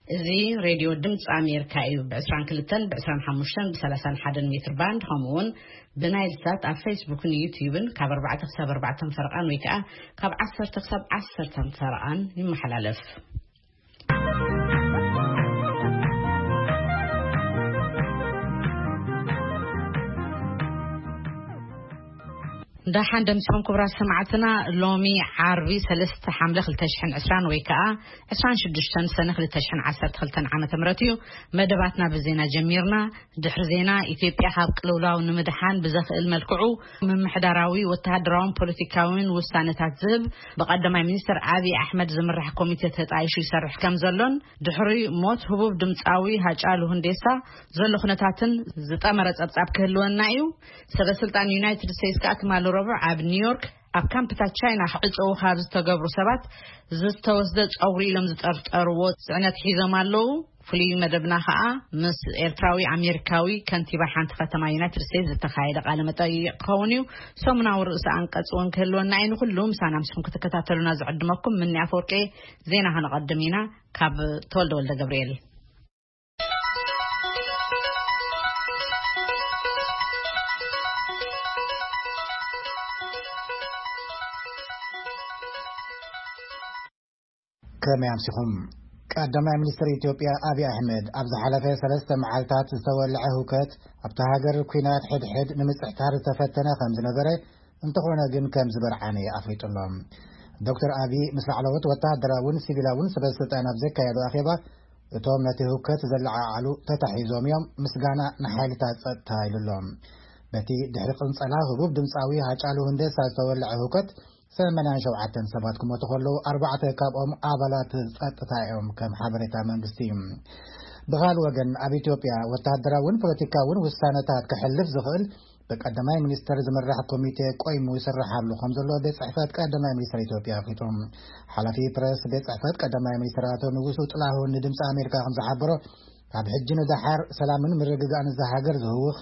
እዚ ሬድዮ ድምፂ ኣሜሪካ እዩ። ብ22፣ ብ25፣ ብ31 ሜትር ባንድ፣ ከምኡ እውን ብናይል ሳት ኣብ ፌስቡክን ዩቲዩብን ካብ ኣርባዕተ ክሳብ ኣርባዕተ ፈረቓን ወይ ከዓ ካብ ዓሰርተ ክሳብ ዓሰርተ ፈረቓን ይመሓላለፍ። ደሓን ደምሲኹም ክቡራት ሰማዕትና። ሎሚ ዓርቢ ሰለስተ ሓምለ ክልተ ሽሕን ዕስራን ወይ ከዓ ዕስራን ሽዱሽተን ሰነ ክልተ ሽሕን ዓሰርተ ክልተን ዓመተ ምህረት እዩ። መደባትና ብዜና ጀሚርና። ድሕሪ ዜና፣ ኢትዮጵያ ካብ ቅልውላው ንምድሓን ብዘኽእል መልክዑ ምምሕዳራዊ፣ ወተሃደራውን ፖለቲካውን ውሳነታት ዝህብ ብቀዳማይ ሚኒስትር ኣብይ ኣሕመድ ዝምራሕ ኮሚቴ ተጣይሹ ይሰርሕ ከም ዘሎን፣ ድሕሪ ሞት ህቡብ ድምፃዊ ሃጫሉ ሁንዴሳ ዘሎ ኩነታትን ዝጠመረ ጸብጻብ ክህልወና እዩ። ሰበ ስልጣን ዩናይትድ ስቴትስ ከኣ ትማሊ ረቡዕ ኣብ ኒውዮርክ ኣብ ካምፕታት ቻይና ክዕጸዉ ካብ ዝተገብሩ ሰባት ዝተወስደ ጸጉሪ ኢሎም ዝጠርጠርዎ ጽዕነት ሒዞም ኣለዉ። ፍሉይ መደብና ከኣ ምስ ኤርትራዊ ኣሜሪካዊ ከንቲባ ሓንቲ ከተማ ዩናይትድ ስቴትስ ዝተኻየደ ቃለ መጠይቕ ክኸውን እዩ። ሰሙናዊ ርእሰ ኣንቀጽ እውን ክህልወና እዩ። ንኹሉ ምሳና ምስኹም ክትከታተሉና ዝዕድመኩም ምኒ ኣፈወርቂ። ዜና ከነቐድም ኢና። ካብ ተወልደ ወልደ ገብርኤል። ከመይ ኣምሲኹም? ቀዳማይ ሚኒስትር ኢትዮጵያ ኣብይ ኣሕመድ ኣብ ዝሓለፈ ሰለስተ መዓልታት ዝተወልዐ ህውከት ኣብታ ሃገር ኲናት ሕድሕድ ንምጽሕታር ዝተፈተነ ከም ዝነበረ፣ እንተኾነ ግን ከም ዝበርዓነ ኣፍሊጡ ኣሎ። ዶክተር ኣብይ ምስ ላዕለዎት ወተሃደራውን ሲቪላውን ሰበ ስልጣን ኣብ ዘካየዶ ኣኼባ፣ እቶም ነቲ ህውከት ዘለዓዓሉ ተታሒዞም እዮም፣ ምስጋና ንሓይልታት ጸጥታ ኢሉ ኣሎ። በቲ ድሕሪ ቅንጸላ ህቡብ ድምጻዊ ሃጫሉ ሁንዴሳ ዝተወልዐ ህውከት ሰማንያን ሸውዓተን ሰባት ክሞቱ ከለዉ፣ ኣርባዕተ ካብኦም ኣባላት ጸጥታ እዮም፣ ከም ሓበሬታ መንግስቲ። ብኻል ወገን፣ ኣብ ኢትዮጵያ ወተሃደራውን ፖለቲካውን ውሳነታት ክሕልፍ ዝኽእል ብቀዳማይ ሚኒስተር ዝምራሕ ኮሚቴ ቆይሙ ይስራሕ ኣሎ ከም ዘሎ ቤት ጽሕፈት ቀዳማይ ሚኒስተር ኢትዮጵያ ኣፍሊጡ። ሓላፊ ፕረስ ቤት ጽሕፈት ቀዳማይ ሚኒስተር ኣቶ ንጉሱ ጥላሁን ንድምፂ ኣሜሪካ ከም ዝሓበሮ፣ ካብ ሕጂ ንደሓር ሰላምን ምርግጋእን እዛ ሃገር ዝህውኽ፣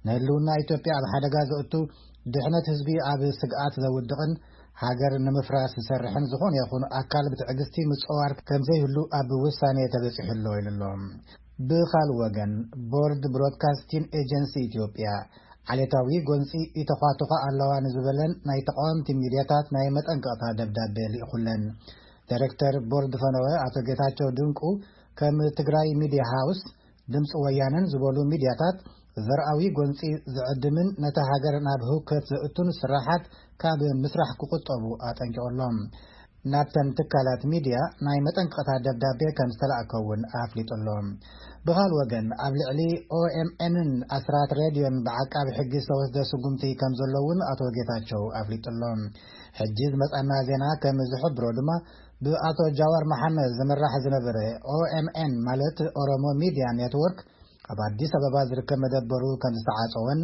ንህልውና ኢትዮጵያ ኣብ ሓደጋ ዘእቱ፣ ድሕነት ህዝቢ ኣብ ስግኣት ዘውድቕን ሃገር ንምፍራስ ዝሰርሕን ዝኾነ ይኹን ኣካል ብትዕግስቲ ምጽዋር ከም ዘይህሉ ኣብ ውሳኔ ተበጺሑ ኣሎ ኢሉ ኣሎ። ብኻልእ ወገን፣ ቦርድ ብሮድካስቲን ኤጀንሲ ኢትዮጵያ ዓሌታዊ ጎንጺ ይተዃትዃ ኣለዋ ንዝበለን ናይ ተቃወምቲ ሚድያታት ናይ መጠንቀቕታ ደብዳቤ ልኢኹለን። ዳይሬክተር ቦርድ ፈነወ ኣቶ ጌታቸው ድንቁ፣ ከም ትግራይ ሚድያ ሃውስ፣ ድምፂ ወያነን ዝበሉ ሚድያታት ዘርኣዊ ጎንፂ ዝዕድምን ነታ ሃገር ናብ ህውከት ዘእቱን ስራሓት ካብ ምስራሕ ክቁጠቡ ኣጠንቂቑሎም። ናብተን ትካላት ሚድያ ናይ መጠንቀቕታ ደብዳቤ ከም ዝተላእከ እውን ኣፍሊጡ ኣሎ። ብኻል ወገን፣ ኣብ ልዕሊ ኦኤምኤንን ኣስራት ሬድዮን ብዓቃቢ ሕጊ ዝተወስደ ስጉምቲ ከም ዘሎ እውን ኣቶ ጌታቸው ኣፍሊጡ ኣሎ። ሕጂ ዝመጻና ዜና ከም ዝሕብሮ ድማ፣ ብኣቶ ጃዋር መሓመድ ዝምራሕ ዝነበረ ኦኤምኤን፣ ማለት ኦሮሞ ሚድያ ኔትወርክ፣ ኣብ ኣዲስ ኣበባ ዝርከብ መደበሩ ከም ዝተዓጸወን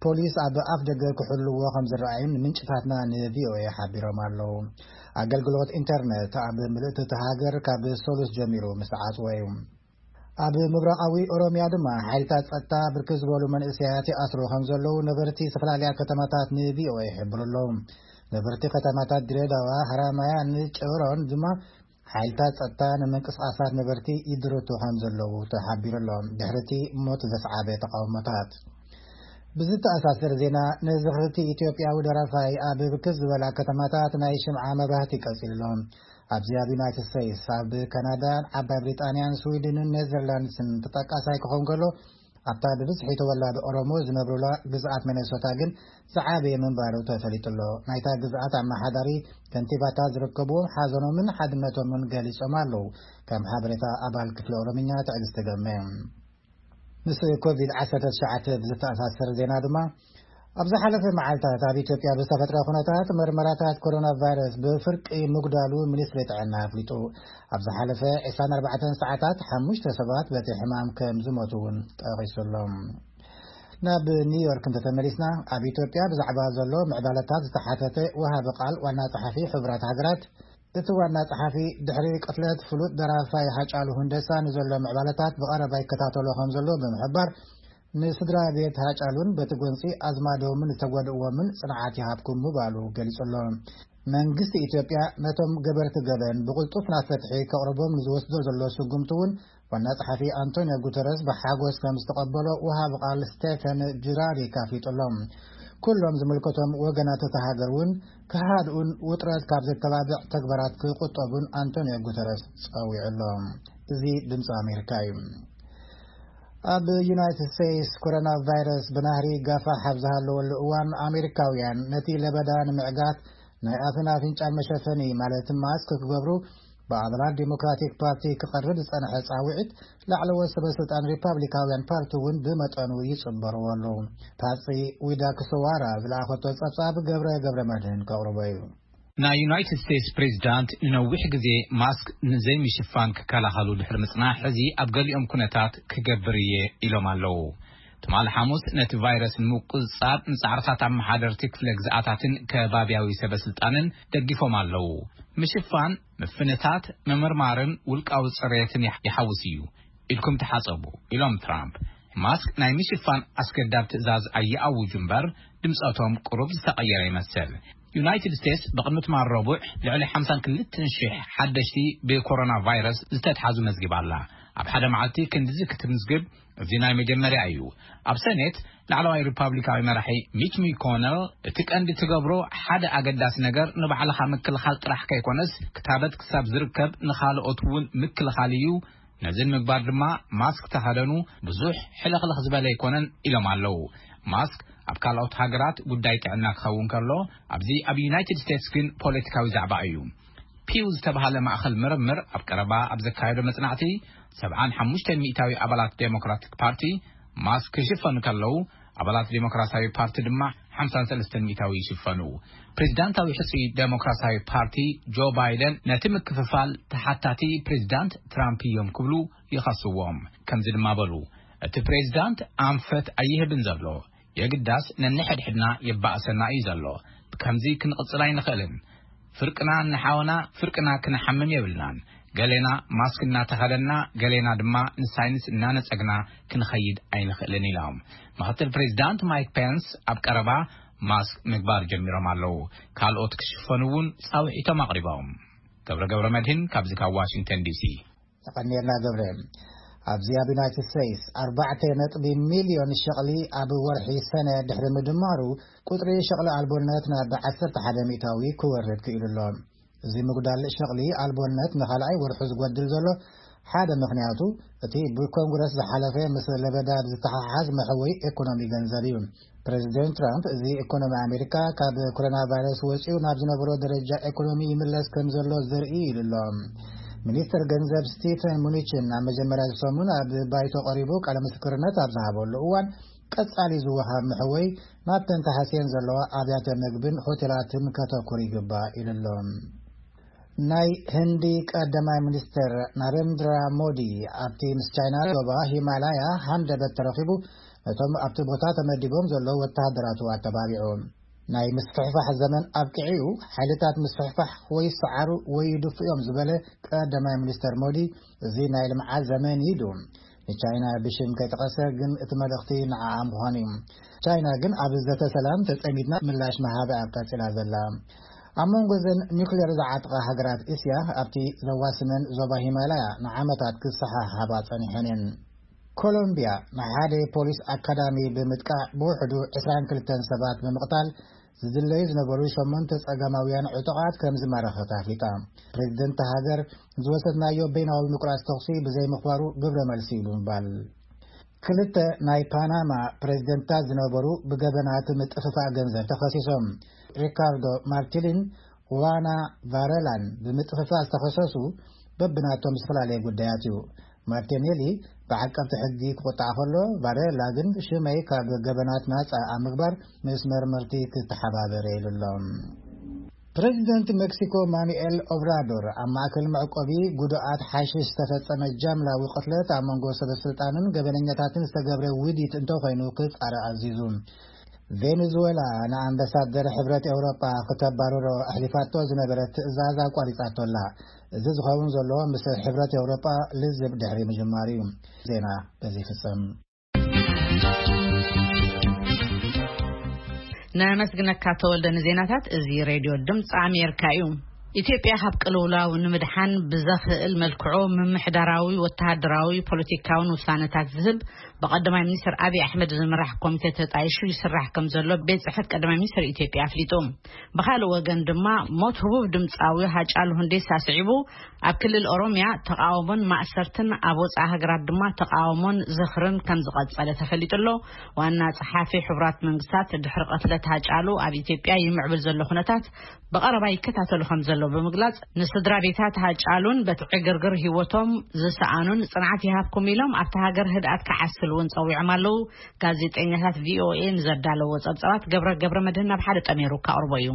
ፖሊስ ኣብ ኣፍ ደገ ክሕልዎ ከም ዝረኣዩን ምንጭታትና ንቪኦኤ ሓቢሮም ኣለዉ። ኣገልግሎት ኢንተርነት ኣብ ምልእቲ እቲ ሃገር ካብ ሰሉስ ጀሚሩ ምስ ተዓጽወ እዩ። ኣብ ምብራቓዊ ኦሮምያ ድማ ሓይልታት ጸጥታ ብርክት ዝበሉ መንእሰያት ይኣስሩ ከም ዘለዉ ነበርቲ ዝተፈላለያ ከተማታት ንቪኦኤ ይሕብሩ ኣለዉ። ነበርቲ ከተማታት ድሬዳዋ፣ ሃራማያን ጨሮን ድማ ሓይልታት ጸጥታ ንምንቅስቓሳት ነበርቲ ይድርቱ ከም ዘለዉ ተሓቢሩ ኣሎ። ድሕሪ እቲ ሞት ዘስዓበ ተቃውሞታት፣ ብዝተኣሳሰር ዜና፣ ንዝኽርቲ ኢትዮጵያዊ ደራፋይ ኣብ ብርክት ዝበላ ከተማታት ናይ ሽምዓ መብራህቲ ቀጺሉ ኣሎ። ኣብዚ ኣብ ዩናይትድ ስቴትስ፣ ኣብ ካናዳን ዓባይ ብሪጣንያን ስዊድንን ኔዘርላንድስን ተጠቃሳይ ክኸውን ከሎ፣ ኣብታ ብብዝሒ ተወላዲ ኦሮሞ ዝነብሩላ ግዝኣት ሚነሶታ ግን ዝዓበየ ምንባሩ ተፈሊጡ ኣሎ። ናይታ ግዝኣት ኣመሓዳሪ ከንቲባታት ዝርከብዎም ሓዘኖምን ሓድነቶምን ገሊጾም ኣለዉ። ከም ሓበሬታ ኣባል ክፍሊ ኦሮምኛ ትዕግስቲ ገርመ። ምስ ኮቪድ ዓሰርተ ትሽዓተ ብዝተኣሳሰር ዜና ድማ፣ ኣብ ዝሓለፈ መዓልታት ኣብ ኢትዮጵያ ብዝተፈጥረ ኩነታት መርመራታት ኮሮና ቫይረስ ብፍርቂ ምጉዳሉ ሚኒስትሪ ጥዕና ኣፍሊጡ። ኣብ ዝሓለፈ ዕስራን ኣርባዕተን ሰዓታት ሓሙሽተ ሰባት በቲ ሕማም ከም ዝሞቱ እውን ጠቒሱ ኣሎ። ናብ ኒውዮርክ እንተተመሊስና፣ ኣብ ኢትዮጵያ ብዛዕባ ዘሎ ምዕባለታት ዝተሓተተ ወሃቢ ቃል ዋና ጸሓፊ ሕቡራት ሃገራት፣ እቲ ዋና ጸሓፊ ድሕሪ ቅትለት ፍሉጥ ደራፋይ ሃጫሉ ሁንደሳ ንዘሎ ምዕባለታት ብቐረባ ይከታተሎ ከም ዘሎ ብምሕባር፣ ንስድራ ቤት ሃጫሉን በቲ ጎንጺ ኣዝማዶምን ዝተጎድእዎምን ጽንዓት ይሃብኩም ምባሉ ገሊጹ ኣሎ። መንግስቲ ኢትዮጵያ ነቶም ገበርቲ ገበን ብቕልጡፍ ናብ ፍትሒ ከቕርቦም ንዝወስዶ ዘሎ ስጉምቲ እውን ዋና ጸሓፊ ኣንቶኒዮ ጉተረስ ብሓጎስ ከም ዝተቐበሎ ወሃቢ ቃል ስቴፈን ጁራሪክ ኣፍሊጡ ኣሎ። ኩሎም ዝምልከቶም ወገናት እታ ሃገር እውን ክሃድኡን ውጥረት ካብ ዘተባብዕ ተግባራት ክቁጠቡን ኣንቶኒዮ ጉተረስ ጸዊዑ ኣሎ። እዚ ድምፂ ኣሜሪካ እዩ። ኣብ ዩናይትድ ስቴትስ ኮሮና ቫይረስ ብናህሪ ጋፋሕ ኣብ ዝሃለወሉ እዋን ኣሜሪካውያን ነቲ ለበዳ ንምዕጋት ናይ ኣፍን ኣፍንጫን መሸፈኒ ማለት ማስክ ክገብሩ ብኣባላት ዲሞክራቲክ ፓርቲ ክቐርብ ዝጸንሐ ጻውዒት ላዕለዎት ሰበ ስልጣን ሪፓብሊካውያን ፓርቲ እውን ብመጠኑ ይጽበርዎ ኣለዉ። ፓጽ ዊዳ ክስዋራ ዝለኣኸቶ ጸብጻብ ገብረ ገብረ መድህን ከቕርቦ እዩ። ናይ ዩናይትድ ስቴትስ ፕሬዚዳንት ንነዊሕ ግዜ ማስክ ንዘይምሽፋን ክከላኸሉ ድሕሪ ምጽናሕ፣ ሕዚ ኣብ ገሊኦም ኩነታት ክገብር እየ ኢሎም ኣለዉ። ትማሊ ሓሙስ ነቲ ቫይረስ ንምቁጽጻር ንጻዕርታት ኣመሓደርቲ ክፍለ ግዝኣታትን ከባብያዊ ሰበ ስልጣንን ደጊፎም ኣለዉ። ምሽፋን፣ ምፍንታት፣ ምምርማርን ውልቃዊ ጽሬትን ይሓውስ እዩ። ኢድኩም ተሓጸቡ ኢሎም ትራምፕ። ማስክ ናይ ምሽፋን ኣስገዳድ ትእዛዝ ኣይኣውጁ እምበር ድምጸቶም ቁሩብ ዝተቐየረ ይመስል። ዩናይትድ ስቴትስ ብቕድሚ ትማል ረቡዕ ልዕሊ ሓምሳን ክልተን ሽሕ ሓደሽቲ ብኮሮና ቫይረስ ዝተትሓዙ መዝጊባ ኣላ። ኣብ ሓደ መዓልቲ ክንድዚ ክትምዝግብ እዚ ናይ መጀመርያ እዩ። ኣብ ሰኔት ላዕለዋይ ሪፓብሊካዊ መራሒ ሚች ሚኮነል እቲ ቀንዲ ትገብሮ ሓደ ኣገዳሲ ነገር ንባዕልኻ ምክልኻል ጥራሕ ከይኮነስ ክታበት ክሳብ ዝርከብ ንኻልኦት እውን ምክልኻል እዩ። ነዚ ንምግባር ድማ ማስክ ተኸደኑ ብዙሕ ሕልኽልኽ ዝበለ ኣይኮነን ኢሎም ኣለዉ። ማስክ ኣብ ካልኦት ሃገራት ጉዳይ ጥዕና ክኸውን ከሎ ኣብዚ ኣብ ዩናይትድ ስቴትስ ግን ፖለቲካዊ ዛዕባ እዩ። ፒው ዝተባሃለ ማእኸል ምርምር ኣብ ቀረባ ኣብ ዘካየዶ መጽናዕቲ ሰብዓን ሓሙሽተን ሚእታዊ ኣባላት ዴሞክራቲክ ፓርቲ ማስክ ክሽፈኑ ከለዉ ኣባላት ዴሞክራሲያዊ ፓርቲ ድማ ሓምሳን ሰለስተን ሚእታዊ ይሽፈኑ። ፕሬዚዳንታዊ ሕጹይ ዴሞክራሲያዊ ፓርቲ ጆ ባይደን ነቲ ምክፍፋል ተሓታቲ ፕሬዚዳንት ትራምፕ እዮም ክብሉ ይኸስዎም። ከምዚ ድማ በሉ፣ እቲ ፕሬዚዳንት ኣንፈት ኣይህብን ዘሎ፣ የግዳስ ነንሕድሕድና የባእሰና እዩ ዘሎ። ከምዚ ክንቕጽል ኣይንኽእልን። ፍርቅና ንሓውና ፍርቅና ክንሓምም የብልናን። ገሌና ማስክ እናተኸደና ገሌና ድማ ንሳይንስ እናነጸግና ክንኸይድ ኣይንኽእልን ኢሎም። ምኽትል ፕሬዚዳንት ማይክ ፔንስ ኣብ ቀረባ ማስክ ምግባር ጀሚሮም ኣለዉ። ካልኦት ክሽፈኑ እውን ጻውዒቶም ኣቕሪቦም። ገብረ ገብረ መድህን ካብዚ ካብ ዋሽንግተን ዲሲ። ተቐኒልና ገብረ። ኣብዚ ኣብ ዩናይትድ ስቴትስ ኣርባዕተ ነጥቢ ሚልዮን ሸቕሊ ኣብ ወርሒ ሰነ ድሕሪ ምድማሩ ቁጽሪ ሸቕሊ ኣልቦነት ናብ ዓሰርተ ሓደ ሚእታዊ ክወርድ ክኢሉ ኣሎ። እዚ ምጉዳል ሸቕሊ ኣልቦነት ንኻልኣይ ወርሑ ዝጎድል ዘሎ ሓደ ምኽንያቱ እቲ ብኮንግረስ ዝሓለፈ ምስ ለበዳ ብዝተሓሓዝ መሕወይ ኢኮኖሚ ገንዘብ እዩ። ፕሬዚደንት ትራምፕ እዚ ኢኮኖሚ ኣሜሪካ ካብ ኮሮና ቫይረስ ወፂኡ ናብ ዝነበሮ ደረጃ ኢኮኖሚ ይምለስ ከም ዘሎ ዘርኢ ኢሉ ኣሎ። ሚኒስትር ገንዘብ ስቲፈን ሙኒችን ኣብ መጀመርያ ዝሰሙን ኣብ ባይቶ ቀሪቡ ቃለ ምስክርነት ኣብ ዝሃበሉ እዋን ቀጻሊ ዝወሃብ መሕወይ ናብተን ተሃስየን ዘለዋ ኣብያተ ምግብን ሆቴላትን ከተኩር ይግባእ ኢሉ ኣሎ። ናይ ህንዲ ቀዳማይ ሚኒስትር ናሬንድራ ሞዲ ኣብቲ ምስ ቻይና ዞባ ሂማላያ ሃንደበት ተረኺቡ ነቶም ኣብቲ ቦታ ተመዲቦም ዘለዉ ወተሃደራቱ ኣተባቢዑ። ናይ ምስፍሕፋሕ ዘመን ኣብቂዑ፣ ሓይልታት ምስፍሕፋሕ ወይ ይሰዓሩ ወይ ይድፉ እዮም ዝበለ ቀዳማይ ሚኒስትር ሞዲ፣ እዚ ናይ ልምዓት ዘመን እዩ ኢሉ። ንቻይና ብሽም ከይጠቐሰ ግን እቲ መልእኽቲ ንዓኣ ምዃኑ እዩ። ቻይና ግን ኣብ ዘተ ሰላም ተጸሚድና ምላሽ ምሃብ እያ ቀጺላ ዘላ። ኣብ መንጎ እዘን ኒውክሌር ዝዓጥቓ ሃገራት እስያ ኣብቲ ዘዋስነን ዞባ ሂማላያ ንዓመታት ክሰሓሓባ ጸኒሐን እየን። ኮሎምቢያ ንሓደ ፖሊስ ኣካዳሚ ብምጥቃዕ ብውሕዱ ዕስራን ክልተን ሰባት ብምቕታል ዝድለዩ ዝነበሩ ሸሞንተ ጸገማውያን ዕጡቓት ከም ዝማረኸት ኣፍሊጣ። ፕሬዚደንት ሃገር ዝወሰድናዮ በይናዊ ምቁራጽ ተኹሲ ብዘይምኽባሩ ግብረ መልሲ ኢሉ ምባል። ክልተ ናይ ፓናማ ፕሬዚደንታት ዝነበሩ ብገበናት ምጥፍፋእ ገንዘብ ተኸሲሶም። ሪካርዶ ማርቲሊን ዋና ቫረላን ብምጥፍፋእ ዝተኸሰሱ በብናቶም ዝተፈላለየ ጉዳያት እዩ። ማርቲኔሊ ብዓቀብቲ ሕጊ ክቑጣዕ ከሎ፣ ቫሬላ ግን ሽመይ ካብ ገበናት ናጻ ኣብ ምግባር ምስ መርመርቲ ክተሓባበር ኢሉ ኣሎ። ፕሬዚደንት ሜክሲኮ ማኑኤል ኦብራዶር ኣብ ማእከል መዕቆቢ ጉዱኣት ሓሽሽ ዝተፈጸመ ጃምላዊ ቅትለት ኣብ መንጎ ሰበ ስልጣንን ገበነኛታትን ዝተገብረ ውዲት እንተኾይኑ ክጻረ ኣዚዙ። ቬኔዙዌላ ንኣምባሳደር ሕብረት ኤውሮጳ ክተባርሮ ኣሕሊፋቶ ዝነበረት ትእዛዝ ኣቋሪጻቶ ኣላ። እዚ ዝኸውን ዘሎ ምስ ሕብረት ኤውሮጳ ልዝብ ድሕሪ ምጅማሩ እዩ። ዜና በዚ ይፍጸም። ነመስግነካ ተወልደ ንዜናታት። እዚ ሬድዮ ድምፂ ኣሜሪካ እዩ። ኢትዮጵያ ካብ ቅልውላው ንምድሓን ብዘኽእል መልክዑ ምምሕዳራዊ፣ ወተሃደራዊ፣ ፖለቲካውን ውሳነታት ዝህብ ብቀዳማይ ሚኒስትር ኣብይ ኣሕመድ ዝምራሕ ኮሚቴ ተጣይሹ ይስራሕ ከም ዘሎ ቤት ጽሕፈት ቀዳማይ ሚኒስትር ኢትዮጵያ ኣፍሊጡ። ብኻልእ ወገን ድማ ሞት ህቡብ ድምፃዊ ሃጫሉ ሁንዴሳ ስዒቡ ኣብ ክልል ኦሮሚያ ተቃውሞን ማእሰርትን ኣብ ወፃኢ ሃገራት ድማ ተቃውሞን ዝኽርን ከም ዝቐጸለ ተፈሊጡ ኣሎ። ዋና ጸሓፊ ሕቡራት መንግስታት ድሕሪ ቅትለት ሃጫሉ ኣብ ኢትዮጵያ ይምዕብል ዘሎ ኩነታት ብቐረባ ይከታተሉ ከም ዘሎ ብምግላጽ፣ ንስድራ ቤታት ሃጫሉን በቲ ዕግርግር ህይወቶም ዝሰኣኑን ጽንዓት ይሃብኩም ኢሎም ኣብቲ ሃገር ህድኣት ክዓስል እውን ጸዊዖም ኣለዉ። ጋዜጠኛታት ቪኦኤ ንዘዳለዎ ጸብጻባት ገብረ ገብረ መድህን ናብ ሓደ ጠሜሩ ከቕርቦ እዩ።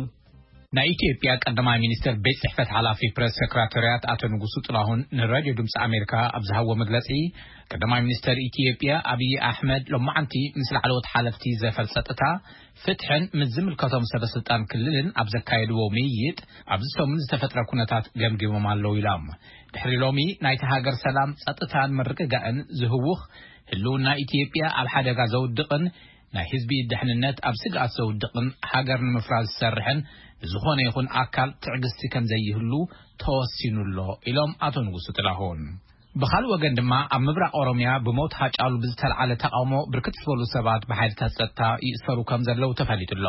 ናይ ኢትዮጵያ ቀዳማይ ሚኒስትር ቤት ጽሕፈት ሓላፊ ፕሬስ ሴክራታርያት ኣቶ ንጉሱ ጥላሁን ንራድዮ ድምፂ ኣሜሪካ ኣብ ዝሃቦ መግለጺ፣ ቀዳማይ ሚኒስትር ኢትዮጵያ ኣብይ ኣሕመድ ሎማዓንቲ ምስ ላዕለዎት ሓለፍቲ ዘፈር ጸጥታ፣ ፍትሕን ምስ ዝምልከቶም ሰበ ስልጣን ክልልን ኣብ ዘካየድዎ ምይይጥ፣ ኣብዚ ሰሙን ዝተፈጥረ ኩነታት ገምጊሞም ኣለዉ ኢሎም። ድሕሪ ሎሚ ናይቲ ሃገር ሰላም፣ ጸጥታን ምርግጋእን ዝህውኽ፣ ህልውና ኢትዮጵያ ኣብ ሓደጋ ዘውድቕን ናይ ህዝቢ ድሕንነት ኣብ ስግኣት ዘውድቕን ሃገር ንምፍራስ ዝሰርሕን ዝኾነ ይኹን ኣካል ትዕግስቲ ከም ዘይህሉ ተወሲኑ ኣሎ ኢሎም ኣቶ ንጉሱ ጥላሁን። ብኻልእ ወገን ድማ ኣብ ምብራቕ ኦሮምያ ብሞት ሃጫሉ ብዝተልዓለ ተቃውሞ ብርክት ዝበሉ ሰባት ብሓይልታት ጸጥታ ይእሰሩ ከም ዘለዉ ተፈሊጡ ኣሎ።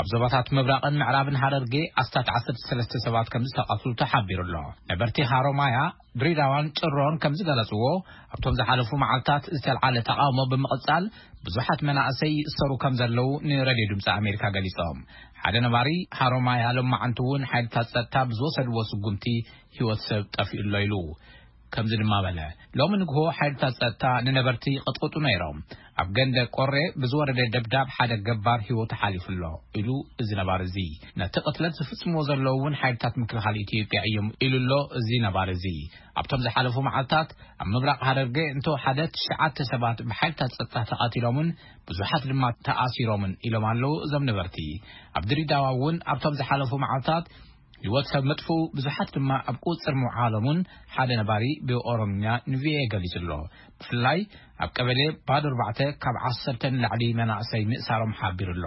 ኣብ ዞባታት ምብራቕን ምዕራብን ሃረርጌ ኣስታት ዓሰርተ ሰለስተ ሰባት ከም ዝተቐትሉ ተሓቢሩ ኣሎ። ነበርቲ ሃሮማያ፣ ድሪዳዋን ጭሮን ከም ዝገለጽዎ፣ ኣብቶም ዝሓለፉ መዓልታት ዝተልዓለ ተቃውሞ ብምቕጻል ብዙሓት መናእሰይ ይእሰሩ ከም ዘለዉ ንረድዮ ድምፂ ኣሜሪካ ገሊጾም። ሓደ ነባሪ ሃሮማያ ሎማዓንቲ እውን ሓይልታት ጸጥታ ብዝወሰድዎ ስጉምቲ ህይወት ሰብ ጠፊኡ ኣሎ ኢሉ። ከምዚ ድማ በለ፣ ሎሚ ንግሆ ሓይልታት ጸጥታ ንነበርቲ ይቕጥቅጡ ነይሮም። ኣብ ገንደ ቆሬ ብዝወረደ ደብዳብ ሓደ ገባር ህይወቱ ሓሊፉ ኣሎ ኢሉ። እዚ ነባሪ እዚ፣ ነቲ ቅትለት ዝፍጽምዎ ዘለዉ እውን ሓይልታት ምክልኻል ኢትዮጵያ እዮም ኢሉ ኣሎ። እዚ ነባሪ እዚ፣ ኣብቶም ዝሓለፉ መዓልታት ኣብ ምብራቕ ሃረርጌ እንተወሓደ ትሽዓተ ሰባት ብሓይልታት ጸጥታ ተቐቲሎምን ብዙሓት ድማ ተኣሲሮምን ኢሎም ኣለዉ እዞም ነበርቲ። ኣብ ድሪዳዋ እውን ኣብቶም ዝሓለፉ መዓልታት ህይወት ሰብ ምጥፍኡ፣ ብዙሓት ድማ ኣብ ቁጽር ምውዓሎምን ሓደ ነባሪ ብኦሮምኛ ንቪኦኤ ገሊጹ ኣሎ። ብፍላይ ኣብ ቀበሌ ባዶ ኣርባዕተ ካብ ዓሰርተ ንላዕሊ መናእሰይ ምእሳሮም ሓቢሩ ኣሎ።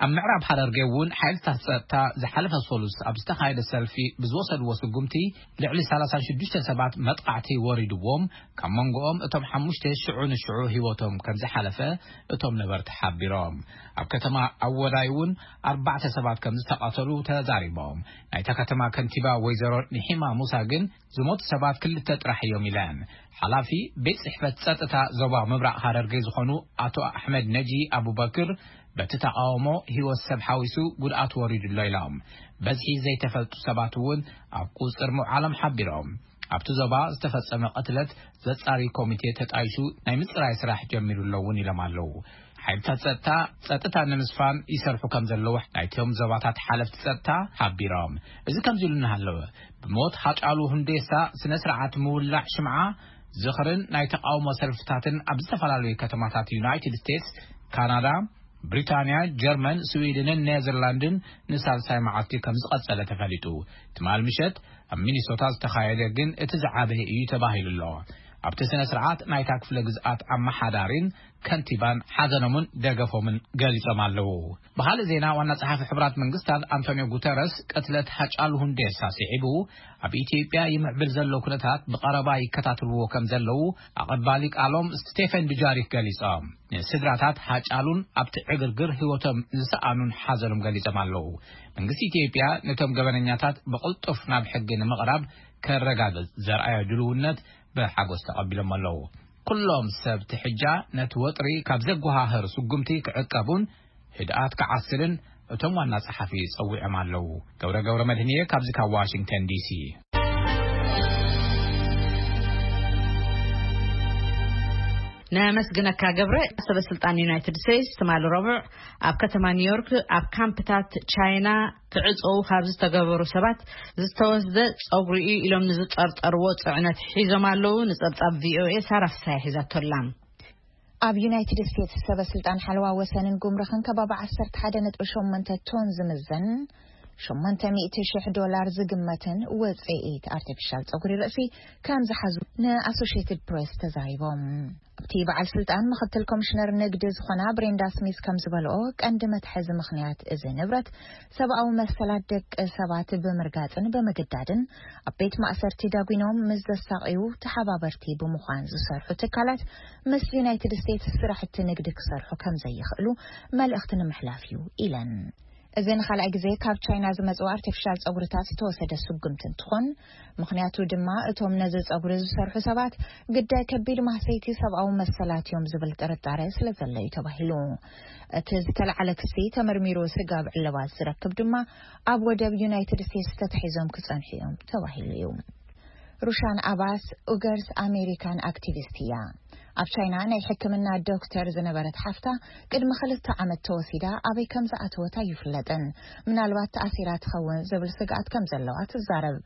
ኣብ ምዕራብ ሃረርጌ እውን ሓይልታት ጸጥታ ዝሓለፈ ሰሉስ ኣብ ዝተኻየደ ሰልፊ ብዝወሰድዎ ስጉምቲ ልዕሊ ሰላሳ ሽዱሽተ ሰባት መጥቃዕቲ ወሪድዎም፣ ካብ መንጎኦም እቶም ሓሙሽተ ሽዑ ንሽዑ ህይወቶም ከም ዝሓለፈ እቶም ነበርቲ ሓቢሮም። ኣብ ከተማ ኣወዳይ እውን ኣርባዕተ ሰባት ከም ዝተቐተሉ ተዛሪቦም። ናይታ ከተማ ከንቲባ ወይዘሮ ንሒማ ሙሳ ግን ዝሞቱ ሰባት ክልተ ጥራሕ እዮም ኢለን። ሓላፊ ቤት ጽሕፈት ጸጥታ ዞባ ምብራቕ ሃረርጌ ዝኾኑ ኣቶ ኣሕመድ ነጂ ኣቡበክር፣ በቲ ተቃውሞ ህይወት ሰብ ሓዊሱ ጉድኣት ወሪዱ ኣሎ ኢሎም። በዝሒ ዘይተፈልጡ ሰባት እውን ኣብ ቁጽር ምውዓሎም ሓቢሮም። ኣብቲ ዞባ ዝተፈጸመ ቅትለት ዘጻሪ ኮሚቴ ተጣይሹ ናይ ምጽራይ ስራሕ ጀሚሩ ኣሎ እውን ኢሎም ኣለዉ። ሓይልታት ጸጥታ፣ ጸጥታ ንምስፋን ይሰርሑ ከም ዘለዉ ናይቶም ዞባታት ሓለፍቲ ጸጥታ ሓቢሮም። እዚ ከምዚ ኢሉ እናሃለወ፣ ብሞት ሃጫሉ ሁንዴሳ ስነ ስርዓት ምውላዕ ሽምዓ ዝኽርን ናይ ተቃውሞ ሰልፍታትን ኣብ ዝተፈላለዩ ከተማታት ዩናይትድ ስቴትስ፣ ካናዳ፣ ብሪታንያ፣ ጀርመን፣ ስዊድንን ኔዘርላንድን ንሳልሳይ መዓልቲ ከም ዝቐጸለ ተፈሊጡ። ትማል ምሸት ኣብ ሚኒሶታ ዝተኻየደ ግን እቲ ዝዓበየ እዩ ተባሂሉ ኣሎ። ኣብቲ ስነ ስርዓት ናይታ ክፍለ ግዝኣት ኣመሓዳሪን ከንቲባን ሓዘኖምን ደገፎምን ገሊጾም ኣለዉ። ብኻልእ ዜና፣ ዋና ጸሓፊ ሕቡራት መንግስታት ኣንቶኒዮ ጉተረስ ቅትለት ሃጫሉ ሁንዴሳ ስዒቡ ኣብ ኢትዮጵያ ይምዕብል ዘሎ ኩነታት ብቐረባ ይከታተልዎ ከም ዘለዉ ኣቐባሊ ቃሎም ስቴፈን ዱጃሪክ ገሊጾም። ንስድራታት ሃጫሉን ኣብቲ ዕግርግር ህይወቶም ዝሰኣኑን ሓዘኖም ገሊጾም ኣለዉ። መንግስቲ ኢትዮጵያ ነቶም ገበነኛታት ብቕልጡፍ ናብ ሕጊ ንምቕራብ ከረጋግጽ ዘርኣዮ ድልውነት ብሓጎስ ተቐቢሎም ኣለዉ። ኩሎም ሰብ ትሕጃ ነቲ ወጥሪ ካብ ዘጓሃህር ስጉምቲ ክዕቀቡን ህድኣት ክዓስልን እቶም ዋና ጸሓፊ ጸዊዖም ኣለዉ። ገብረ ገብረ መድህንየ ካብዚ ካብ ዋሽንግተን ዲሲ። ነመስግነካ ገብረ። ሰበ ስልጣን ዩናይትድ ስቴትስ ትማሊ ረቡዕ ኣብ ከተማ ኒውዮርክ ኣብ ካምፕታት ቻይና ክዕፀዉ ካብ ዝተገበሩ ሰባት ዝተወስደ ፀጉሪ እዩ ኢሎም ንዝጠርጠርዎ ፅዕነት ሒዞም ኣለዉ። ንፀብፃብ ቪኦኤ ሳራ ፍሳይ ሒዛቶላ። ኣብ ዩናይትድ ስቴትስ ሰበ ስልጣን ሓለዋ ወሰንን ጉምርኽን ከባቢ ዓሰርተ ሓደ ነጥቢ ሸሞንተ ቶን ዝምዘን ሸሞንተ ሚእቲ ሽሕ ዶላር ዝግመትን ውፅኢት ኣርቲፊሻል ፀጉሪ ርእሲ ከም ዝሓዙ ንኣሶሽየትድ ፕሬስ ተዛሪቦም። ኣብቲ በዓል ስልጣን ምክትል ኮሚሽነር ንግዲ ዝኾና ብሬንዳ ስሚዝ ከም ዝበልኦ፣ ቀንዲ መትሐዚ ምኽንያት እዚ ንብረት ሰብኣዊ መሰላት ደቂ ሰባት ብምርጋፅን ብምግዳድን ኣብ ቤት ማእሰርቲ ዳጒኖም ምስ ዘሳቕዩ ተሓባበርቲ ብምዃን ዝሰርሑ ትካላት ምስ ዩናይትድ ስቴትስ ስራሕቲ ንግዲ ክሰርሑ ከም ዘይኽእሉ መልእኽቲ ንምሕላፍ እዩ ኢለን። እዚ ንኻልኣይ ግዜ ካብ ቻይና ዝመጹ ኣርቲፊሻል ጸጉርታት ዝተወሰደ ስጉምቲ እንትኾን፣ ምኽንያቱ ድማ እቶም ነዚ ጸጉሪ ዝሰርሑ ሰባት ግዳይ ከቢድ ማህሰይቲ ሰብኣዊ መሰላት እዮም ዝብል ጥርጣረ ስለ ዘሎ እዩ ተባሂሉ። እቲ ዝተለዓለ ክሲ ተመርሚሩ ስጋብ ዕልባት ዝረክብ ድማ ኣብ ወደብ ዩናይትድ ስቴትስ ተታሒዞም ክጸንሑ እዮም ተባሂሉ እዩ። ሩሻን ኣባስ ኡገርስ ኣሜሪካን ኣክቲቪስት እያ። ኣብ ቻይና ናይ ሕክምና ዶክተር ዝነበረት ሓፍታ ቅድሚ ክልተ ዓመት ተወሲዳ ኣበይ ከም ዝኣተወት ኣይፍለጥን። ምናልባት ተኣሲራ ትኸውን ዝብል ስግኣት ከም ዘለዋ ትዛረብ።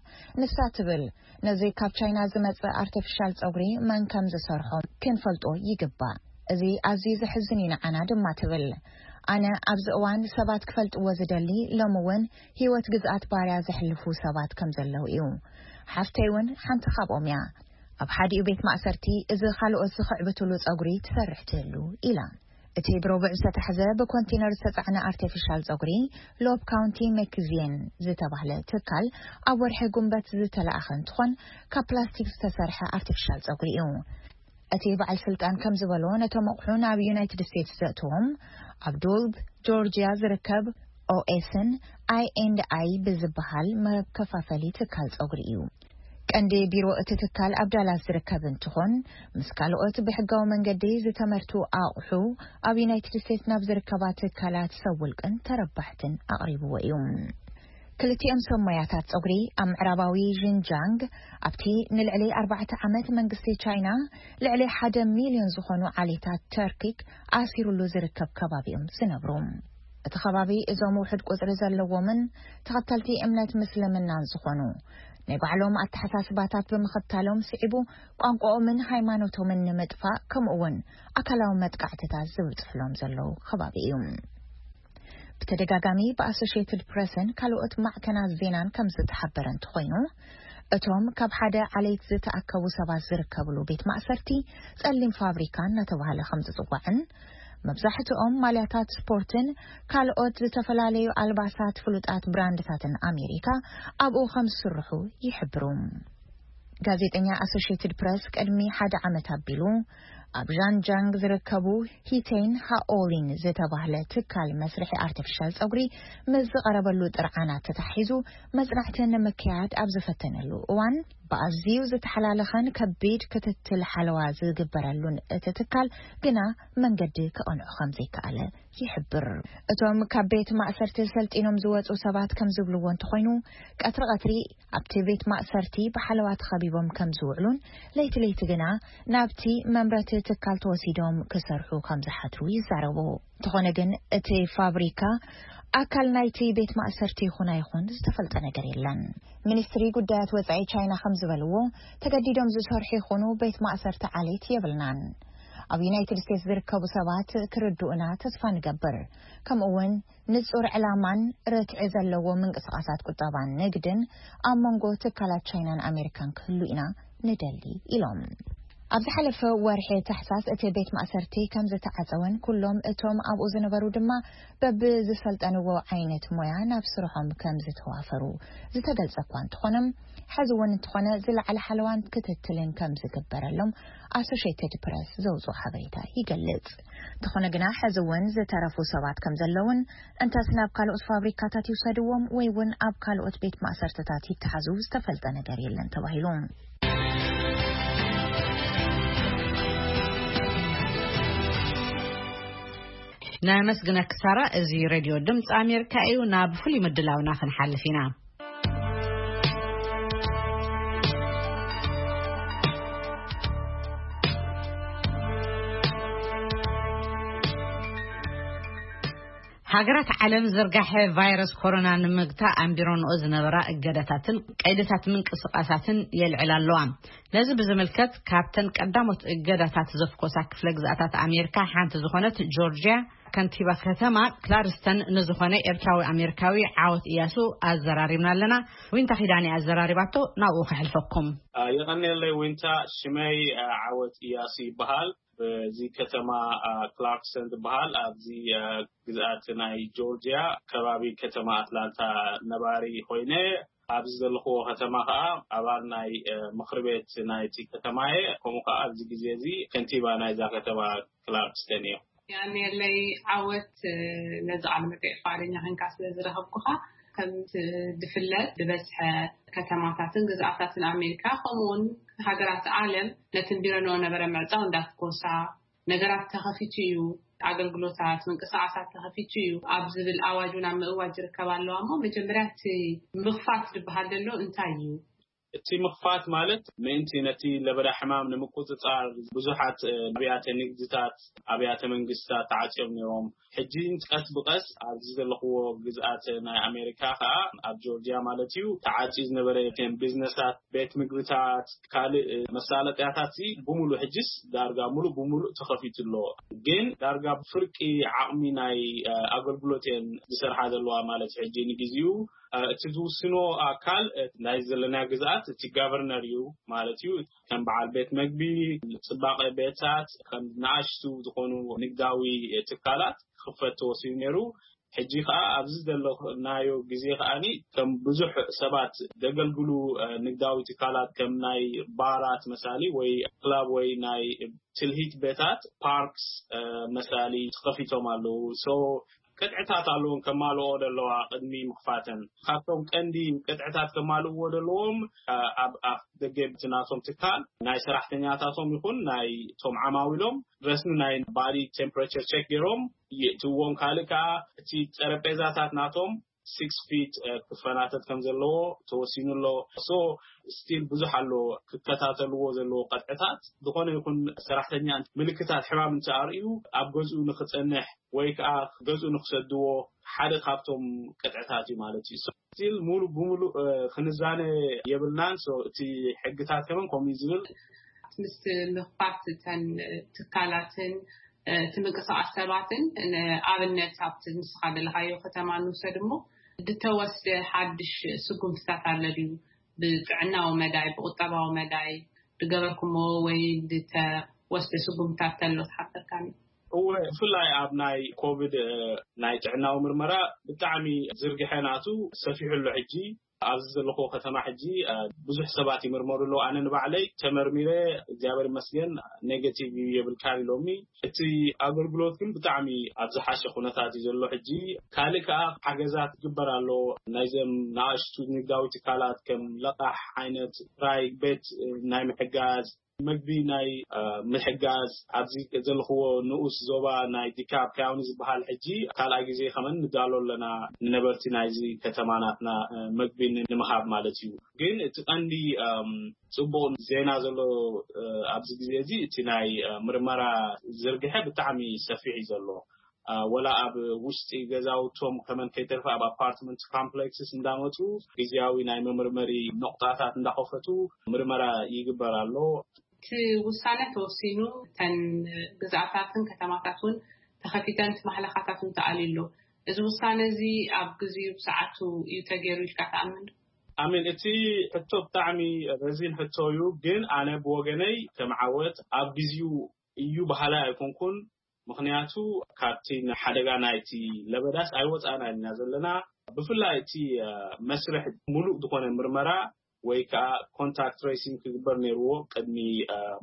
ንሳ ትብል፣ ነዚ ካብ ቻይና ዝመጽእ ኣርቲፊሻል ጸጉሪ መን ከም ዝሰርሖ ክንፈልጦ ይግባእ። እዚ ኣዝዩ ዘሕዝን እዩ ንዓና ድማ ትብል። ኣነ ኣብዚ እዋን ሰባት ክፈልጥዎ ዝደሊ ሎሚ እውን ህይወት ግዝኣት ባርያ ዘሕልፉ ሰባት ከም ዘለዉ እዩ። ሓፍተይ እውን ሓንቲ ካብኦም እያ። ኣብ ሓዲኡ ቤት ማእሰርቲ እዚ ካልኦት ዝኽዕብትሉ ጸጉሪ ትሰርሕ ትህሉ ኢላ። እቲ ብረቡዕ ዝተታሕዘ ብኮንቴነር ዝተጻዕነ ኣርቲፊሻል ጸጉሪ ሎብ ካውንቲ መክዚየን ዝተባህለ ትካል ኣብ ወርሒ ጉንበት ዝተለኣኸ እንትኾን ካብ ፕላስቲክ ዝተሰርሐ ኣርቲፊሻል ጸጉሪ እዩ። እቲ በዓል ስልጣን ከም ዝበሎ ነቶም ኣቑሑ ናብ ዩናይትድ ስቴትስ ዘእትዎም ኣብ ዶልብ ጆርጂያ ዝርከብ ኦኤስን ኣይ ኤንድ ኣይ ብዝበሃል መከፋፈሊ ትካል ጸጉሪ እዩ። ቀንዲ ቢሮ እቲ ትካል ኣብ ዳላስ ዝርከብ እንትኾን ምስ ካልኦት ብሕጋዊ መንገዲ ዝተመርቱ ኣቑሑ ኣብ ዩናይትድ ስቴትስ ናብ ዝርከባ ትካላት ሰብ ውልቅን ተረባሕትን ኣቕሪብዎ እዩ። ክልቲኦም ሰብ ሞያታት ጸጉሪ ኣብ ምዕራባዊ ዥንጃንግ ኣብቲ ንልዕሊ ኣርባዕተ ዓመት መንግስቲ ቻይና ልዕሊ ሓደ ሚልዮን ዝኾኑ ዓሌታት ተርኪክ ኣሲሩሉ ዝርከብ ከባቢ እዮም ዝነብሩ። እቲ ከባቢ እዞም ውሑድ ቁጽሪ ዘለዎምን ተኸተልቲ እምነት ምስልምናን ዝኾኑ ናይ ባዕሎም ኣተሓሳስባታት ብምኽታሎም ስዒቡ ቋንቋኦምን ሃይማኖቶምን ንምጥፋእ ከምኡ እውን ኣካላዊ መጥቃዕትታት ዝብጽሕሎም ዘለዉ ከባቢ እዩ። ብተደጋጋሚ ብኣሶሽየትድ ፕረስን ካልኦት ማዕከናት ዜናን ከም ዝተሓበረ እንተኾይኑ፣ እቶም ካብ ሓደ ዓሌት ዝተኣከቡ ሰባት ዝርከብሉ ቤት ማእሰርቲ ጸሊም ፋብሪካ እናተባህለ ከም ዝጽዋዕን መብዛሕትኦም ማልያታት ስፖርትን ካልኦት ዝተፈላለዩ ኣልባሳት ፍሉጣት ብራንድታትን ኣሜሪካ ኣብኡ ከም ዝስርሑ ይሕብሩ። ጋዜጠኛ ኣሶሽየትድ ፕረስ ቅድሚ ሓደ ዓመት ኣቢሉ ኣብ ዣንጃንግ ዝርከቡ ሂቴን ሃኦሊን ዝተባህለ ትካል መስርሒ ኣርቲፊሻል ጸጉሪ ምስ ዝቐረበሉ ጥርዓናት ተታሒዙ መጽናዕቲ ንምክያድ ኣብ ዝፈተነሉ እዋን፣ ብኣዝዩ ዝተሓላለኸን ከቢድ ክትትል ሓለዋ ዝግበረሉን እቲ ትካል ግና መንገዲ ክቐንዑ ከም ዘይከኣለ ይሕብር። እቶም ካብ ቤት ማእሰርቲ ሰልጢኖም ዝወጹ ሰባት ከም ዝብልዎ እንተኾይኑ፣ ቀትሪ ቀትሪ ኣብቲ ቤት ማእሰርቲ ብሓለዋ ተኸቢቦም ከም ዝውዕሉን ለይቲ ለይቲ ግና ናብቲ መምረቲ ትካል ተወሲዶም ክሰርሑ ከም ዝሓትሩ ይዛረቡ። እንተኾነ ግን እቲ ፋብሪካ ኣካል ናይቲ ቤት ማእሰርቲ ይኹን ኣይኹን ዝተፈልጠ ነገር የለን። ሚኒስትሪ ጉዳያት ወጻኢ ቻይና ከም ዝበልዎ፣ ተገዲዶም ዝሰርሑ ይኹኑ ቤት ማእሰርቲ ዓሌት የብልናን። ኣብ ዩናይትድ ስቴትስ ዝርከቡ ሰባት ክርድኡና ተስፋ ንገብር። ከምኡ እውን ንጹር ዕላማን ርትዒ ዘለዎ ምንቅስቓሳት ቁጠባን ንግድን ኣብ መንጎ ትካላት ቻይናን ኣሜሪካን ክህሉ ኢና ንደሊ ኢሎም። ኣብ ዝሓለፈ ወርሒ ታሕሳስ እቲ ቤት ማእሰርቲ ከም ዝተዓጸወን ኩሎም እቶም ኣብኡ ዝነበሩ ድማ በብዝሰልጠንዎ ዓይነት ሞያ ናብ ስርሖም ከም ዝተዋፈሩ ዝተገልጸ እኳ እንተኾነ፣ ሕዚ እውን እንተኾነ ዝለዓለ ሓለዋን ክትትልን ከም ዝግበረሎም ኣሶሽየትድ ፕረስ ዘውፅኦ ሓበሬታ ይገልጽ። እንተኾነ ግና ሕዚ እውን ዝተረፉ ሰባት ከም ዘለውን እንተስ ናብ ካልኦት ፋብሪካታት ይውሰድዎም ወይ እውን ኣብ ካልኦት ቤት ማእሰርትታት ይተሓዙ ዝተፈልጠ ነገር የለን ተባሂሉ። ነመስግነኪ ሳራ። እዚ ሬድዮ ድምፂ ኣሜሪካ እዩ። ናብ ፍሉይ ምድላውና ክንሓልፍ ኢና። ሃገራት ዓለም ዝርጋሐ ቫይረስ ኮሮና ንምግታእ ኣንቢሮንኦ ዝነበራ እገዳታትን ቀይድታት ምንቅስቓሳትን የልዕላ ኣለዋ። ነዚ ብዝምልከት ካብተን ቀዳሞት እገዳታት ዘፍኮሳ ክፍለ ግዝኣታት ኣሜሪካ ሓንቲ ዝኾነት ጆርጅያ ከንቲባ ከተማ ክላርስተን ንዝኾነ ኤርትራዊ ኣሜሪካዊ ዓወት እያሱ ኣዘራሪብና ኣለና። ዊንታ ኪዳን ኣዘራሪባቶ፣ ናብኡ ከሕልፈኩም። የቐንየለይ ዊንታ። ሽመይ ዓወት እያሱ ይበሃል። በዚ ከተማ ክላርክስተን ዝበሃል ኣብዚ ግዝኣት ናይ ጆርጂያ ከባቢ ከተማ ኣትላንታ ነባሪ ኮይነ፣ ኣብዚ ዘለኽዎ ከተማ ከዓ ኣባል ናይ ምኽሪ ቤት ናይቲ ከተማ እየ። ከምኡ ከዓ ኣብዚ ግዜ እዚ ከንቲባ ናይዛ ከተማ ክላርክስተን እየ። ያኔለይ ዓወት ነዚ ቃለ መጠይቅ ፍቃደኛ ክንካ ስለ ዝረኸብኩኻ። ከም ዝፍለጥ ዝበዝሐ ከተማታትን ግዝኣታትን ኣሜሪካ ከምኡውን ሃገራት ዓለም ነቲ ቢረንኦ ነበረ ምዕፃው እንዳትኮሳ፣ ነገራት ተኸፊቱ እዩ፣ ኣገልግሎታት ምንቅስቃሳት ተኸፊቱ እዩ ኣብ ዝብል ኣዋጅ እውን ኣብ ምእዋጅ ይርከባ ኣለዋ። እሞ መጀመርያ እቲ ምኽፋት ዝበሃል ዘሎ እንታይ እዩ? እቲ ምኽፋት ማለት ምእንቲ ነቲ ለበዳ ሕማም ንምቁፅፃር ብዙሓት ኣብያተ ንግድታት፣ ኣብያተ መንግስታት ተዓፅዮም ነይሮም። ሕጂ ቀስ ብቀስ ኣብዚ ዘለኽዎ ግዝኣት ናይ ኣሜሪካ ከዓ ኣብ ጆርጂያ ማለት እዩ ተዓፅዩ ዝነበረ ቢዝነሳት፣ ቤት ምግብታት፣ ካልእ መሳለጥያታት ሲ ብሙሉእ ሕጅስ ዳርጋ ሙሉእ ብሙሉእ ተኸፊቱ ኣሎ። ግን ዳርጋ ብፍርቂ ዓቕሚ ናይ ኣገልግሎት እየን ዝሰርሓ ዘለዋ ማለት ሕጂ ንግዜኡ እቲ ዝውስኖ ኣካል ናይ ዘለና ግዝኣት እቲ ጋቨርነር እዩ ማለት እዩ። ከም በዓል ቤት መግቢ፣ ፅባቐ ቤታት፣ ከም ንኣሽቱ ዝኾኑ ንግዳዊ ትካላት ክኽፈት ተወሲኑ ነይሩ። ሕጂ ከዓ ኣብዚ ዘለናዮ ግዜ ከዓኒ ከም ብዙሕ ሰባት ዘገልግሉ ንግዳዊ ትካላት ከም ናይ ባራት መሳሊ ወይ ክላብ ወይ ናይ ትልሂት ቤታት ፓርክስ መሳሊ ተኸፊቶም ኣለዉ። ሶ ቅጥዕታት ኣለውን ከማልኦ ዘለዋ ቅድሚ ምኽፋተን። ካብቶም ቀንዲ ቅጥዕታት ከማልእዎ ዘለዎም ኣብ ኣፍ ደገ ናቶም ትካል ናይ ሰራሕተኛታቶም ይኹን ናይ ቶም ዓማዊሎም ረስሚ ናይ ባዲ ቴምፕሬቸር ቸክ ገይሮም ይእትዎም። ካልእ ከዓ እቲ ጠረጴዛታት ናቶም ሲክስ ፊት ክፈናተት ከም ዘለዎ ተወሲኑ ኣሎ። ሶ ስቲል ብዙሕ ኣሎ ክከታተልዎ ዘለዎ ቀጥዕታት። ዝኾነ ይኹን ሰራሕተኛ ምልክታት ሕማም እንተኣርእዩ ኣብ ገዝኡ ንክፀንሕ ወይ ከዓ ገዝኡ ንክሰድዎ ሓደ ካብቶም ቅጥዕታት እዩ ማለት እዩ። ስቲል ሙሉ ብሙሉ ክንዛነ የብልናን። እቲ ሕግታት ከመን ከምኡ ዝብል ምስ ምኽፋት እተን ትካላትን እቲ ምንቅስቃስ ሰባትን ንኣብነት ኣብቲ ንስኻ ዘለኻዮ ከተማ ንውሰድ እሞ ዝተወስደ ሓድሽ ስጉምትታት ኣሎ ድዩ? ብጥዕናዊ መዳይ ብቁጠባዊ መዳይ ዝገበርኩሞ ወይ ዝተወስደ ስጉምትታት ተሎ ትሓበርካኒ? እወ፣ ብፍላይ ኣብ ናይ ኮቪድ ናይ ጥዕናዊ ምርመራ ብጣዕሚ ዝርግሐ ናቱ ሰፊሑ ኣሎ። ሕጂ ኣብዚ ዘለኹ ከተማ ሕጂ ብዙሕ ሰባት ይምርመሩ ኣለዉ። ኣነ ንባዕለይ ተመርሚረ እግዚኣብሔር ይመስገን ኔጋቲቭ እዩ የብልካን ኢሎምኒ። እቲ ኣገልግሎት ግን ብጣዕሚ ኣብ ዝሓሸ ኩነታት እዩ ዘሎ። ሕጂ ካልእ ከዓ ሓገዛት ይግበር ኣሎ። ናይዘም ንኣሽቱ ንግዳዊ ትካላት ከም ለቃሕ ዓይነት ራይ ቤት ናይ ምሕጋዝ መግቢ ናይ ምሕጋዝ ኣብዚ ዘለኽዎ ንኡስ ዞባ ናይ ዲካብ ካውኒ ዝበሃል ሕጂ ካልኣይ ግዜ ከመን ንዳሎ ኣለና። ንነበርቲ ናይዚ ከተማ ናትና መግቢ ንምሃብ ማለት እዩ። ግን እቲ ቀንዲ ፅቡቕ ዜና ዘሎ ኣብዚ ግዜ እዚ እቲ ናይ ምርመራ ዝርግሐ ብጣዕሚ ሰፊሕ እዩ ዘሎ። ወላ ኣብ ውሽጢ ገዛውቶም ከመን ከይተርፈ ኣብ ኣፓርትመንት ኮምፕሌክስስ እንዳመፁ ግዜያዊ ናይ መመርመሪ ነቑጣታት እንዳኸፈቱ ምርመራ ይግበር ኣሎ። እቲ ውሳነ ተወሲኑ እተን ግዝኣታትን ከተማታት እውን ተኸፊተን እቲ ማሕለኻታት እውን ተኣልዩ ኣሎ። እዚ ውሳነ እዚ ኣብ ግዜኡ ብሰዓቱ እዩ ተገይሩ ኢልካ ትኣምን ዶ? ኣሜን። እቲ ሕቶ ብጣዕሚ ረዚን ሕቶ እዩ፣ ግን ኣነ ብወገነይ ከም ዓወት ኣብ ግዜኡ እዩ በሃላይ ኣይኮንኩን። ምኽንያቱ ካብቲ ሓደጋ ናይቲ ለበዳስ ኣይወፃእና ኢና ዘለና። ብፍላይ እቲ መስርሕ ሙሉእ ዝኾነ ምርመራ ወይ ከዓ ኮንታክት ትሬሲንግ ክግበር ነይርዎ ቅድሚ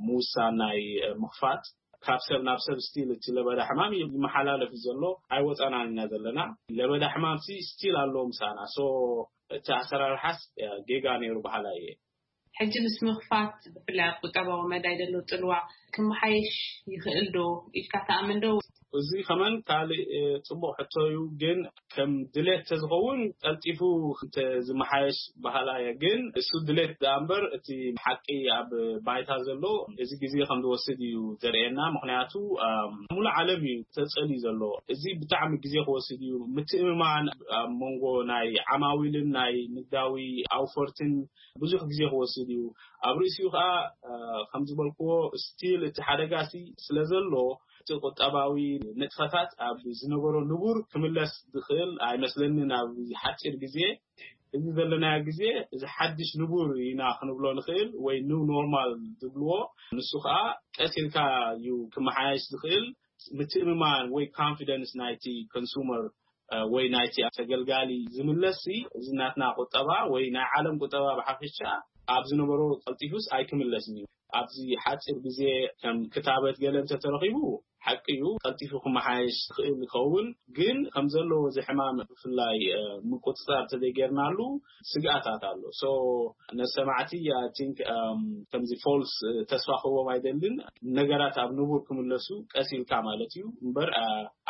ምውሳን ናይ ምኽፋት። ካብ ሰብ ናብ ሰብ ስቲል እቲ ለበዳ ሕማም ይመሓላለፍ ዘሎ ኣይወፃናን ኢና ዘለና። ለበዳ ሕማም ሲ ስቲል ኣለዎ ምሳና። ሶ እቲ ኣሰራርሓስ ጌጋ ነይሩ በሃላይ እየ። ሕጂ ምስ ምኽፋት ብፍላይ ኣብ ቁጠባዊ መዳይ ዘሎ ፅልዋ ክመሓየሽ ይኽእል ዶ ኢልካ ትኣምን ዶ? እዚ ከመን ካልእ ፅቡቕ ሕቶ እዩ፣ ግን ከም ድሌት ተዝኸውን ቀልጢፉ እንተ ዝመሓየሽ በሃላ እየ። ግን እሱ ድሌት ደኣ እምበር እቲ ሓቂ ኣብ ባይታ ዘሎ እዚ ግዜ ከም ዝወስድ እዩ ዘርእየና። ምኽንያቱ ሙሉእ ዓለም እዩ ተፀልዩ ዘሎ። እዚ ብጣዕሚ ግዜ ክወስድ እዩ። ምትእምማን ኣብ መንጎ ናይ ዓማዊልን ናይ ንግዳዊ ኣውፈርትን ብዙሕ ግዜ ክወስድ እዩ። ኣብ ርእሲኡ ከዓ ከም ዝበልክዎ ስቲል እቲ ሓደጋ ሲ ስለ ዘሎ እቲ ቁጠባዊ ንጥፈታት ኣብ ዝነበሮ ንቡር ክምለስ ዝኽእል ኣይመስለንን ኣብ ሓፂር ግዜ። እዚ ዘለናዮ ግዜ እዚ ሓድሽ ንቡር ኢና ክንብሎ ንኽእል ወይ ኒው ኖርማል ዝብልዎ፣ ንሱ ከዓ ቀስ ኢልካ እዩ ክመሓየሽ ዝኽእል። ምትእምማን ወይ ኮንፊደንስ ናይቲ ኮንሱመር ወይ ናይቲ ተገልጋሊ ዝምለስ እዚ ናትና ቁጠባ ወይ ናይ ዓለም ቁጠባ ብሓፈሻ ኣብ ዝነበሮ ቀልጢፉስ ኣይክምለስን እዩ። ኣብዚ ሓፂር ግዜ ከም ክታበት ገለ እንተተረኺቡ ሓቂ እዩ፣ ቀልጢፉ ክመሓየሽ ዝኽእል ይኸውን። ግን ከም ዘለዎ እዚ ሕማም ብፍላይ ምቁፅፃር ተዘይገርናሉ ስግኣታት ኣሎ። ሶ ነሰማዕቲ ቲንክ ከምዚ ፎልስ ተስፋ ክህቦም ኣይደልን። ነገራት ኣብ ንቡር ክምለሱ ቀስ ኢልካ ማለት እዩ እምበር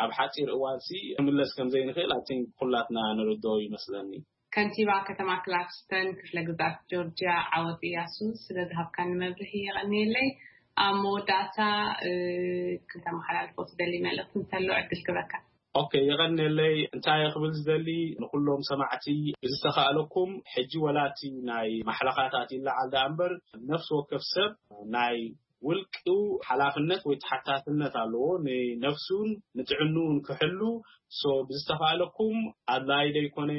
ኣብ ሓፂር እዋንሲ ክምለስ ከም ዘይንኽእል ኣይ ቲንክ ኩላትና ንርድኦ ይመስለኒ። ከንቲባ ከተማ ክላክስተን ክፍለ ግዛት ጆርጂያ ዓወት እያሱ ስለ ዝሃብካኒ መብርሂ የቐንየለይ። ኣብ መወዳእታ ክተመሓላልፎ ትደሊ መልእኽቲ እንተሎ ዕድል ክበካ። ኦኬ፣ የቐንየለይ። እንታይ ክብል ዝደሊ ንኩሎም ሰማዕቲ ብዝተኻእለኩም ሕጂ ወላቲ ናይ ማሕለኻታት ይለዓል ደኣ እምበር ነፍሲ ወከፍ ሰብ ናይ ውልቅኡ ሓላፍነት ወይ ተሓታትነት ኣለዎ ንነፍሱን ንጥዕንኡን ክሕሉ። ሶ ብዝተኻእለኩም ኣድላይ ዘይኮነ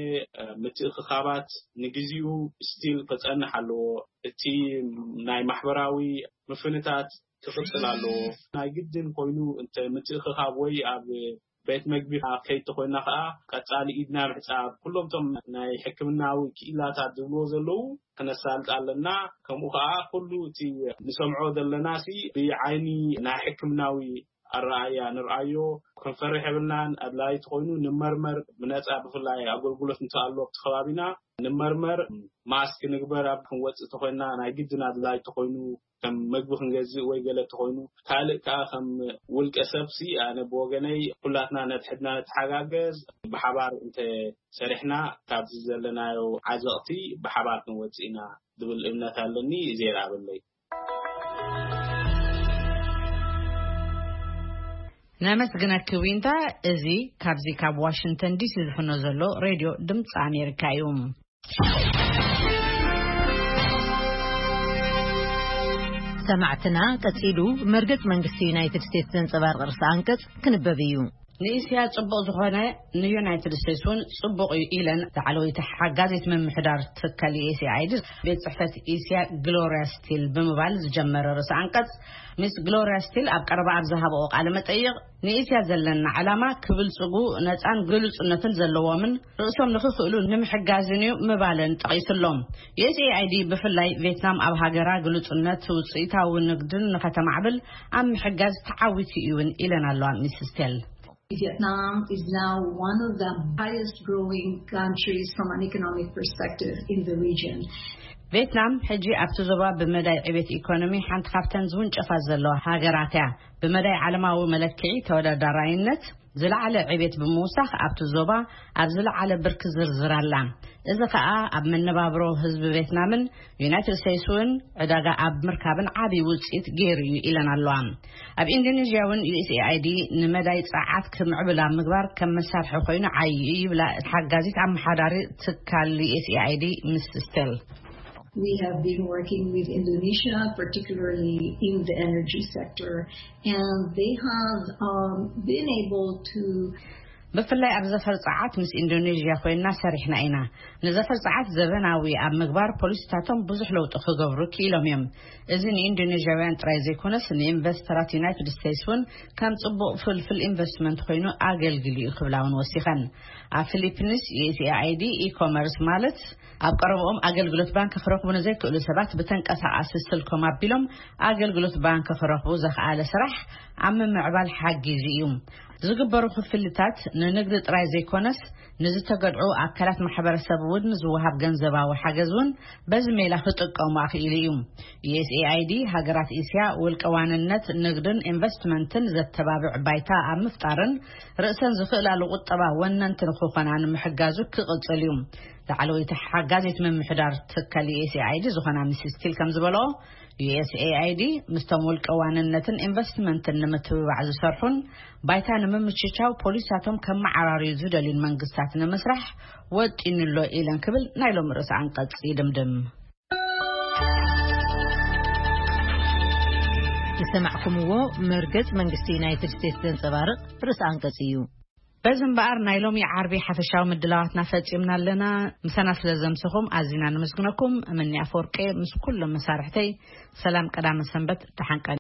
ምትእኽኻባት ንግዚኡ ስቲል ክፀንሕ ኣለዎ። እቲ ናይ ማሕበራዊ ምፍንታት ክቕፅል ኣለዎ። ናይ ግድን ኮይኑ እንተ ምትእኽኻብ ወይ ኣብ ቤት መግቢ ከይድ ተኮይና ከዓ ቀፃሊ ኢድና ምሕፃብ ኩሎም ቶም ናይ ሕክምናዊ ክኢላታት ዝብልዎ ዘለዉ ክነሳልጥ ኣለና። ከምኡ ከዓ ኩሉ እቲ ንሰምዖ ዘለና ሲ ብዓይኒ ናይ ሕክምናዊ ኣረኣያ ንርኣዮ። ክንፈርሕ የብልናን። ኣድላይ ተኮይኑ ንመርመር ብነፃ ብፍላይ ኣገልግሎት እንተኣሎ ኣብቲ ከባቢና ንመርመር። ማስክ ንግበር ኣብ ክንወፅእ ተኮይና ናይ ግድን ኣድላይ ተኮይኑ ከም መግቢ ክንገዝእ ወይ ገለ ተኾይኑ ካልእ ከዓ ከም ውልቀ ሰብሲ ኣነ ብወገነይ ኩላትና ነትሕድና ንተሓጋገዝ። ብሓባር እንተ ሰሪሕና ካብዚ ዘለናዮ ዓዘቕቲ ብሓባር ክንወፅእ ኢና ዝብል እምነት ኣለኒ። እዜ ይረኣበለይ። ነመስግነኪ ዊንታ። እዚ ካብዚ ካብ ዋሽንግተን ዲሲ ዝፍኖ ዘሎ ሬድዮ ድምፂ ኣሜሪካ እዩ። ሰማዕትና ቀጺሉ መርገጽ መንግስቲ ዩናይትድ ስቴትስ ዘንጸባርቕ ርእሰ ኣንቀጽ ክንበብ እዩ። ንእስያ ጽቡቕ ዝኾነ ንዩናይትድ ስቴትስ እውን ጽቡቕ እዩ ኢለን ላዕለወይቲ ሓጋዚት ምምሕዳር ትካል ዩኤስኤኣይዲ ቤት ጽሕፈት እስያ ግሎሪያ ስቲል ብምባል ዝጀመረ ርእሰ ኣንቀጽ፣ ሚስ ግሎሪያ ስቲል ኣብ ቀረባ ኣብ ዝሃበኦ ቃለ መጠይቕ ንእስያ ዘለና ዓላማ ክብልጽጉ ነጻን ግሉጽነትን ዘለዎምን ርእሶም ንኽኽእሉ ንምሕጋዝን እዩ ምባለን ጠቒሱሎም። ዩኤስኤኣይዲ ብፍላይ ቬትናም ኣብ ሃገራ ግሉጽነት ውጽኢታዊ ንግድን ንኸተማዕብል ኣብ ምሕጋዝ ተዓዊቱ እዩን ኢለን ኣለዋ ሚስ ስቴል። Vietnam is now one of the highest growing countries from an economic perspective in the region. ቬትናም ሕጂ ኣብቲ ዞባ ብመዳይ ዕቤት ኢኮኖሚ ሓንቲ ካብተን ዝውንጨፋ ዘለዋ ሃገራት እያ። ብመዳይ ዓለማዊ መለክዒ ተወዳዳራይነት ዝለዓለ ዕቤት ብምውሳኽ ኣብቲ ዞባ ኣብ ዝለዓለ ብርኪ ዝርዝር ኣላ። እዚ ከኣ ኣብ መነባብሮ ህዝቢ ቬትናምን ዩናይትድ ስቴትስ እውን ዕዳጋ ኣብ ምርካብን ዓብዪ ውፅኢት ገይሩ እዩ ኢለን ኣለዋ። ኣብ ኢንዶኔዥያ እውን ዩኤስኤኣይዲ ንመዳይ ጸዓት ክምዕብል ኣብ ምግባር ከም መሳርሒ ኮይኑ ዓብዪ እዩ ይብላ ሓጋዚት ኣመሓዳሪ ትካል ዩኤስኤኣይዲ ምስ ስቴል። We have been working with Indonesia, particularly in the energy sector, and they have um, been able to ብፍላይ ኣብ ዘፈር ጸዓት ምስ ኢንዶኔዥያ ኮይና ሰሪሕና ኢና። ንዘፈር ጸዓት ዘበናዊ ኣብ ምግባር ፖሊሲታቶም ብዙሕ ለውጢ ክገብሩ ክኢሎም እዮም። እዚ ንኢንዶኔዥያውያን ጥራይ ዘይኮነስ ንኢንቨስተራት ዩናይትድ ስቴትስ እውን ከም ጽቡቕ ፍልፍል ኢንቨስትመንት ኮይኑ ኣገልግል እዩ ክብላ እውን ወሲኸን። ኣብ ፊሊፒንስ ዩኤስኤኣይዲ ኢኮመርስ ማለት ኣብ ቀረብኦም ኣገልግሎት ባንክ ክረኽቡ ንዘይክእሉ ሰባት ብተንቀሳቓሲ ስልኮም ኣቢሎም ኣገልግሎት ባንክ ክረኽቡ ዘኽኣለ ስራሕ ኣብ ምምዕባል ሓጊዙ እዩ። ዝግበሩ ክፍልታት ንንግዲ ጥራይ ዘይኮነስ ንዝተገድዑ ኣካላት ማሕበረሰብ እውን ዝወሃብ ገንዘባዊ ሓገዝ እውን በዚ ሜላ ክጥቀሙ ኣኽኢሉ እዩ። ዩኤስኤኣይዲ ሃገራት እስያ ውልቀ ዋንነት ንግድን ኢንቨስትመንትን ዘተባብዕ ባይታ ኣብ ምፍጣርን ርእሰን ዝኽእላሉ ቁጠባ ወነንቲ ንክኾና ንምሕጋዙ ክቕጽል እዩ። ላዕለወይቲ ሓጋዚት ምምሕዳር ትካል ዩኤስኤኣይዲ ዝኾና ሚስስ ስቲል ከም ዝበልኦ ዩኤስኤኣይዲ ምስቶም ውልቀ ዋንነትን ኢንቨስትመንትን ንምትብባዕ ዝሰርሑን ባይታ ንምምችቻው ፖሊሳቶም ከመዓራርዩ ዝደልዩን መንግስታት ንምስራሕ ወጢኑ ኣሎ ኢለን ክብል ናይ ሎም ርእሰ ኣንቀጽ ይድምድም። ሰማዕኩምዎ፣ መርገጽ መንግስቲ ዩናይትድ ስቴትስ ዘንጸባርቕ ርእሰ ኣንቀጽ እዩ። በዚ እምበኣር ናይ ሎሚ ዓርቢ ሓፈሻዊ ምድላዋትና ፈጺምና ኣለና። ምሳና ስለ ዘምሰኹም ኣዚና ነመስግነኩም። እምኒ ኣፈወርቂ ምስ ኩሎም መሳርሕተይ ሰላም ቀዳመ ሰንበት፣ ደሓን ቀን።